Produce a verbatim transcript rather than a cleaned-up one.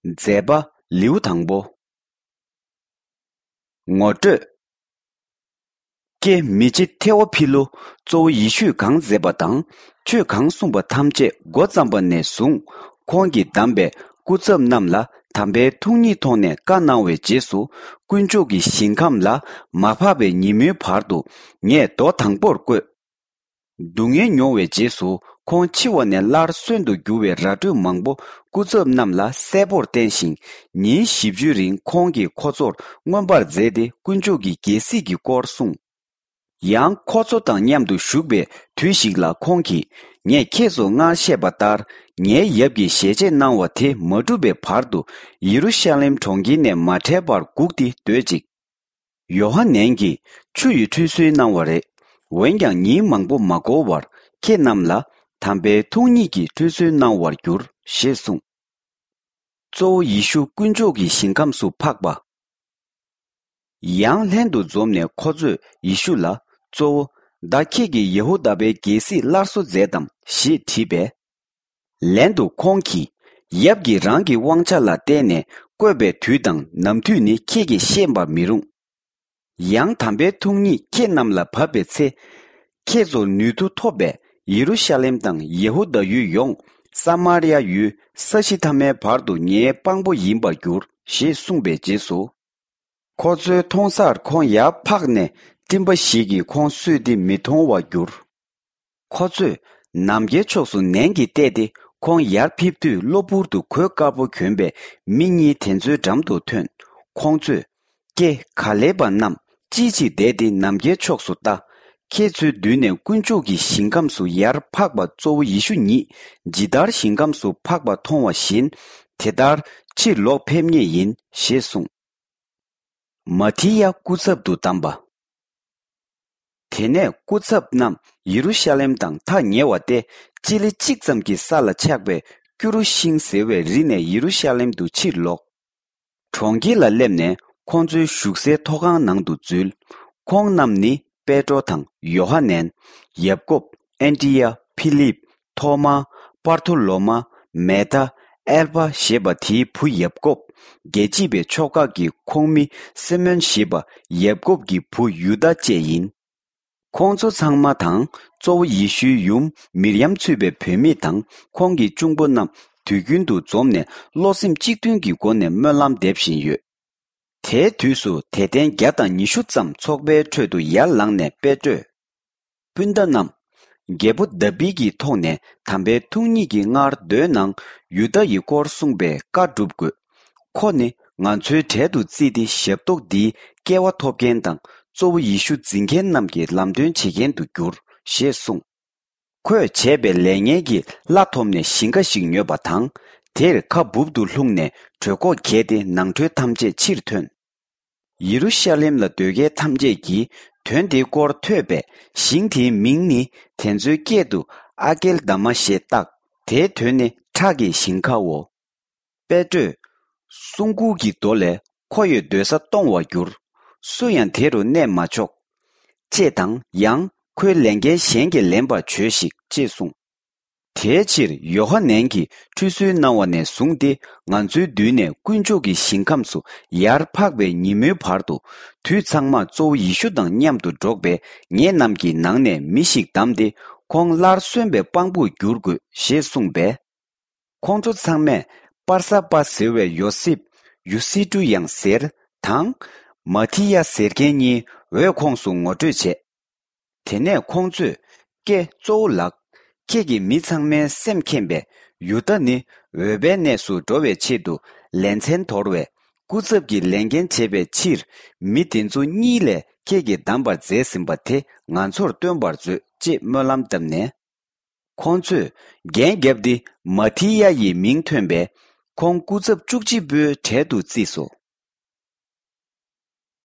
མཛད་པ་ལེའུ་དང་པོ། ངོ་སྤྲོད། ཀྱེ་མི་རྗེ་ཐེ་ཝ་ཕི་ལོ། གཙོ་བོ་ཡེ་ཤུས་གང་མཛད་པ་དང་ཆོས་གང་གསུངས་པ་ཐམས་ཅད་འགོ་བརྩམས་པ་ནས་བཟུང་ཁོང་གིས་བདམས་པའི་སྐུ་ཚབ་རྣམས་ལ་དམ་པའི་ཐུགས་ཉིད་ཐོག་ནས་བཀའ་གནང་བའི་རྗེས་སུ་དཀོན་མཆོག་གི་ཞིང་ཁམས་ལ་མ་འཕགས་པའི་ཉིན་མོའི་བར་དུ་ངས་མདོ་དང་པོར་བཀོད། སྡུག་བསྔལ་མྱོང་བའི་རྗེས་སུ་ཁོང་འཆི་བ་ནས་སླར་གསོན་དུ་འགྱུར་བའི་ར་སྤྲོད་མང་པོ་སྐུ་ཚབ་རྣམས་ལ་གསལ་པོར་བསྟན་ཞིང་ཉིན་བཞི་བཅུའི་རིང་ཁོང་གིས་ཁོ་ཚོར་མངོན་པར་མཛད་དེ་དཀོན་མཆོག་གི་རྒྱལ་སྲིད་ཀྱི་སྐོར་གསུངས། ཡང་ཁོ་ཚོ་དང་མཉམ་དུ་བཞུགས་པའི་དུས་ཤིག་ལ་ཁོང་གིས་ངས་ཁྱེད་ཚོར་སྔར་བཤད་པ་ལྟར་ངའི་ཡབ་ཀྱིས་ཞལ་ཆད་གནང་བ་དེ་མ་འགྲུབ་པའི་བར་དུ་ཡེ་རུ་ཤ་ལེམ་གྲོང་ཁྱེར་ནས་མ་བྲལ་བར་སྒུག་སྟེ་སྡོད་ཅིག། ཡོ་ཧ་ནན་གྱིས་ཆུ་ཡི་ཁྲུས་གསོལ་གནང་བ་རེད། འོན་ཀྱང་ཉིན་མང་པོ་མ་འགོར་བར་ཁྱེད་རྣམས་ལ་དམ་པའི་ཐུགས་ཉིད་ཀྱི་ཁྲུས་གསོལ་གནང་བར་འགྱུར་ཞེས་གསུངས། གཙོ་བོ་ཡེ་ཤུ་དཀོན་མཆོག་གི་ཞིང་ཁམས་སུ་འཕགས་པ། ཡང་ལྷན་དུ་འཛོམས་ནས་ཁོ་ཚོས་ཡེ་ཤུ་ལ། གཙོ་བོ། ད་ཁྱེད་ཀྱིས་ཡེ་ཧུ་དཱ་པའི་རྒྱལ་སྲིད་སླར་གསོ་མཛད་དམ་ཞེས་དྲིས་པས། ལན་དུ་ཁོང་གིས། ཡབ་ཀྱིས་རང་གི་དབང་ཆ་ལ་བརྟེན་ནས་བསྐོས་པའི་དུས་དང་ནམ་དུས་ནི་ཁྱེད་ཀྱིས་ཤེས་པར་མི་རུང་། ཡང་དམ་པའི་ཐུགས་ཉིད་ཁྱེད་རྣམས་ལ་བབས་པའི་ཚེ། ཁྱེད་ཚོར་ནུས་མཐུ་ཐོབ་པས་ཡེ་རུ་ཤ་ལེམ་དང་ཡེ་ཧུ་དཱ་ཡུལ་ཡོངས་ས་མར་ཡ་ཡུལ་ས་གཞི་མཐའ་མའི་བར་དུ་ངའི་དཔང་པོ་ཡིན་པར་འགྱུར་ཞེས་གསུངས་པའི་རྗེས་སུ། ཁོ་ཚོའི་མཐོང་སར་ཁོང་ཡར་འཕགས་ནས་སྤྲིན་པ་ཞིག་གིས་ཁོང་བསུས་ཏེ་མི་མཐོང་བར་གྱུར། ཁོ་ཚོས་ནམ་མཁའི་ཕྱོགས་སུ་ནན་གྱིས་བལྟས་ཏེ་ཁོང་ཡར་ཕེབས་དུས་གློ་བུར་དུ་གོས་དཀར་པོ་གྱོན་པའི་མི་གཉིས་དེ་ཚོའི་འགྲམ་དུ་ཐོན། ཁོང་ཚོས། ཀྱེ་ག་ལེ་པ་རྣམས་ཅིའི་ཕྱིར་བསྡད་དེ་ནམ་མཁའི་ཕྱོགས་སུ་ལྟ། ཁྱེད་ཚོའི་མདུན་ནས་དཀོན་མཆོག་གི་ཞིང་ཁམས་སུ་ཡར་འཕགས་པ་གཙོ་བོ་ཡེ་ཤུ་ཉིད་ཇི་ལྟར་ཞིང་ཁམས་སུ་འཕགས་པ་མཐོང་བ་བཞིན་དེ་ལྟར་ཕྱིར་ལོག་ཕེབས་ངེས་ཡིན་ཞེས་གསུངས། མ་ཐི་ཡ་སྐུ་ཚབ་ཏུ་བདམས་པ། དེ་ནས་སྐུ་ཚབ་རྣམས་ཡེ་རུ་ཤ་ལེམ་དང་ཐག་ཉེ་བ་སྟེ་སྤྱི་ལེ་གཅིག་ཙམ་གྱི་ས་ལ་ཆགས་པའི་ཀྱུ་རུ་ཤིང་ཟེར་བའི་རི་ནས་ཡེ་རུ་ཤ་ལེམ་དུ་ཕྱིར་ལོག། གྲོང་ཁྱེར་ལ་སླེབས་ནས་ཁོང་ཚོའི་བཞུགས་སའི་ཐོག་ཁང་ནང་དུ་འཛུལ། ཁོང་རྣམས་ནི་པེ་ཏྲོ་དང་ཡོ་ཧ་ནན། ཡབ་ཀོབ། ཨན་ཏི་ཡ། ཕི་ལིབ། ཐོ་མ། པར་ཐོ་ལོ་མ། མེ་ཐ། ཨེལ་ཕ་ཞེས་པ་དེའི་བུ་ཡབ་ཀོབ། རྒྱལ་གཅེས་པའི་ཕྱོགས་ཁག་གི་ཁོངས་མི་སི་མོན་ཞེས་པ་ཡབ་ཀོབ་ཀྱི་བུ་ཡུ་དཱ་བཅས་ཡིན། ཁོང་ཚོ་ཚང་མ་དང་གཙོ་བོ་ཡེ་ཤུའི་ཡུམ་མིར་ཡམ་ཚུད་པའི་བུད་མེད་དང་ཁོང་གི་གཅུང་པོ་རྣམས་དུས་རྒྱུན་དུ་འཛོམས་ནས་བློ་སེམས་གཅིག་མཐུན་གྱི་སྒོ་ནས་སྨོན་ལམ་འདེབས་བཞིན་ཡོད། དེའི་དུས་སུ་དད་ལྡན་བརྒྱ་དང་ཉི་ཤུ་ཙམ་ཚོགས་པའི་ཁྲོད་དུ་ཡར་ལངས་ནས་པེ་ཏྲོས། སྤུན་ཟླ་རྣམས། རྒྱལ་པོ་དཱ་བིད་ཀྱི་ཐོག་ནས་དམ་པའི་ཐུགས་ཉིད་ཀྱིས་སྔར་མདོའི་ནང་ཡུ་དཱ་ཡི་སྐོར་གསུངས་པའི་བཀའ་སྒྲུབ་དགོས། ཁོ་ནི་ང་ཚོའི་གྲལ་དུ་བརྩིས་ཏེ་ཞབས་ཏོག་འདིའི་སྐལ་བ་ཐོབ་མཁན་དང་གཙོ་བོ་ཡེ་ཤུ་འཛིན་མཁན་རྣམས་ཀྱི་ལམ་སྟོན་བྱེད་མཁན་དུ་འགྱུར་ཞེས་གསུངས། ཁོས་བྱས་པའི་ལས་ངན་གྱི་གླ་ཐོབ་ནས་ཞིང་ཁ་ཞིག་ཉོས་པ་དང་དེར་ཁ་སྦུབ་ཏུ་ལྷུང་ནས་གྲོད་ཁོག་གས་ཏེ་ནང་ཁྲོལ་ཐམས་ཅད་ཕྱིར་ཐོན། ཡེ་རུ་ཤ་ལེམ་ལ་སྡོད་མཁན་ཐམས་ཅད་ཀྱིས་དོན་དེའི་སྐོར་ཐོས་པས་ཞིང་དེའི་མིང་ནི་དེ་ཚོའི་སྐད་དུ་ཨ་ཀེལ་དཱ་མ་ཞེས་བཏགས། དེའི་དོན་ནི་ཁྲག་གི་ཞིང་ཁའོ། པེ་ཏྲོས། གསུང་མགུར་གྱི་མདོ་ལས་ཁོ་ཡི་སྡོད་ས་སྟོང་བར་འགྱུར། སུ་ཡང་དེ་རུ་གནས་མ་ཆོག་ཅེས་དང་ཡང་ཁོའི་ལས་འགན་གཞན་གྱིས་ལེན་པར་བྱོས་ཤིག་ཅེས་གསུངས། དེའི་ཕྱིར་ཡོ་ཧ་ནན་གྱིས་ཁྲུས་གསོལ་གནང་བ་ནས་བཟུང་སྟེ་ང་ཚོའི་མདུན་ནས་དཀོན་མཆོག་གི་ཞིང་ཁམས་སུ་ཡར་འཕགས་པའི་ཉིན་མོའི་བར་དུ་དུས་ཚང་མར་གཙོ་བོ་ཡེ་ཤུ་དང་མཉམ་དུ་འགྲོགས་པའི་ངེད་རྣམས་ཀྱི་ནང་ནས་མི་ཞིག་བདམས་ཏེ་ཁོང་སླར་གསོན་པའི་དཔང་པོར་འགྱུར་དགོས་ཞེས་གསུངས་པས། ཁོང་ཚོ་ཚང་མས་པར་ས་པ་ཟེར་བའི་ཡོ་སེབ། ཡུ་སི་ཏུ་ཡང་ཟེར། དང་། མ་ཐི་ཡ་ཟེར་མཁན་གཉིས་འོས་ཁོངས་སུ་ངོ་སྤྲོད་བྱས། དེ་ནས་ཁོང་ཚོས་ཀྱེ་གཙོ་བོ་ལགས། ཁྱེད་ཀྱིས་མི་ཚང་མའི་སེམས་མཁྱེན་པས་ཡུ་དཱ་ནི་འོས་པའི་གནས་སུ་འགྲོ་བའི་ཆེད་དུ་ལས་ཚན་དོར་བས་སྐུ་ཚབ་ཀྱི་ལས་འགན་བྱེད་པའི་ཕྱིར་མི་དེ་ཚོ་གཉིས་ལས་ཁྱེད་ཀྱིས་བདམས་པར་མཛད་ཟིན་པ་དེ་ང་ཚོར་སྟོན་པར་མཛོད་ཅེས་སྨོན་ལམ་བཏབ་ནས། ཁོང་ཚོས་འགན་བརྒྱབ་སྟེ་མ་ཐི་ཡ་ཡི་མིང་ཐོན་པས་ཁོང་སྐུ་ཚབ་བཅུ་གཅིག་པོའི་གྲལ་དུ་བརྩིས་སོ།